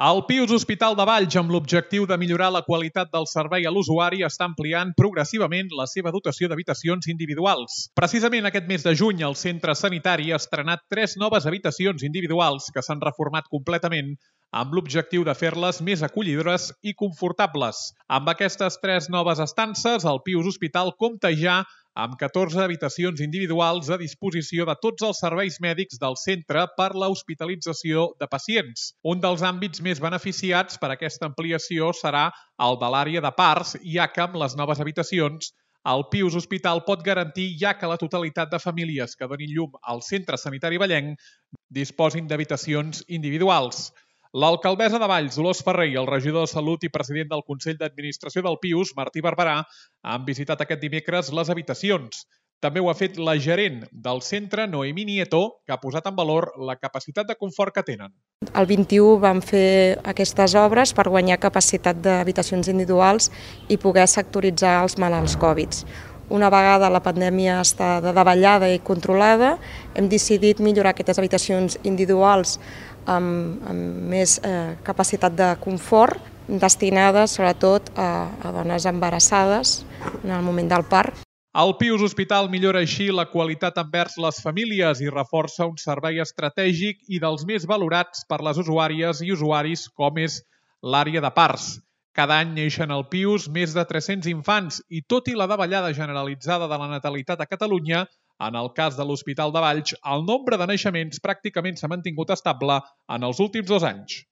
El Pius Hospital de Valls, amb l'objectiu de millorar la qualitat del servei a l'usuari, està ampliant progressivament la seva dotació d'habitacions individuals. Precisament aquest mes de juny, el centre sanitari ha estrenat 3 noves habitacions individuals que s'han reformat completament amb l'objectiu de fer-les més acollidores i confortables. Amb aquestes 3 noves estances, el Pius Hospital compta ja amb 14 habitacions individuals a disposició de tots els serveis mèdics del centre per la hospitalització de pacients. Un dels àmbits més beneficiats per aquesta ampliació serà el de l'àrea de parts, ja que amb les noves habitacions el Pius Hospital pot garantir ja que la totalitat de famílies que donin llum al centre sanitari vallenc disposin d'habitacions individuals. L'alcaldessa de Valls, Dolors Ferrer, i el regidor de Salut i president del Consell d'Administració del Pius, Martí Barberà, han visitat aquest dimecres les habitacions. També ho ha fet la gerent del centre, Noemí Nieto, que ha posat en valor la capacitat de confort que tenen. El 21 vam fer aquestes obres per guanyar capacitat d'habitacions individuals i poder sectoritzar els malalts Covid. Una vegada la pandèmia està de davallada i controlada, hem decidit millorar aquestes habitacions individuals amb més capacitat de confort, destinades sobretot a dones embarassades en el moment del part. El Pius Hospital millora així la qualitat envers les famílies i reforça un servei estratègic i dels més valorats per les usuàries i usuaris, com és l'àrea de parts. Cada any neixen al Pius més de 300 infants i tot i la davallada generalitzada de la natalitat a Catalunya, en el cas de l'Hospital de Valls, el nombre de naixements pràcticament s'ha mantingut estable en els últims 2 anys.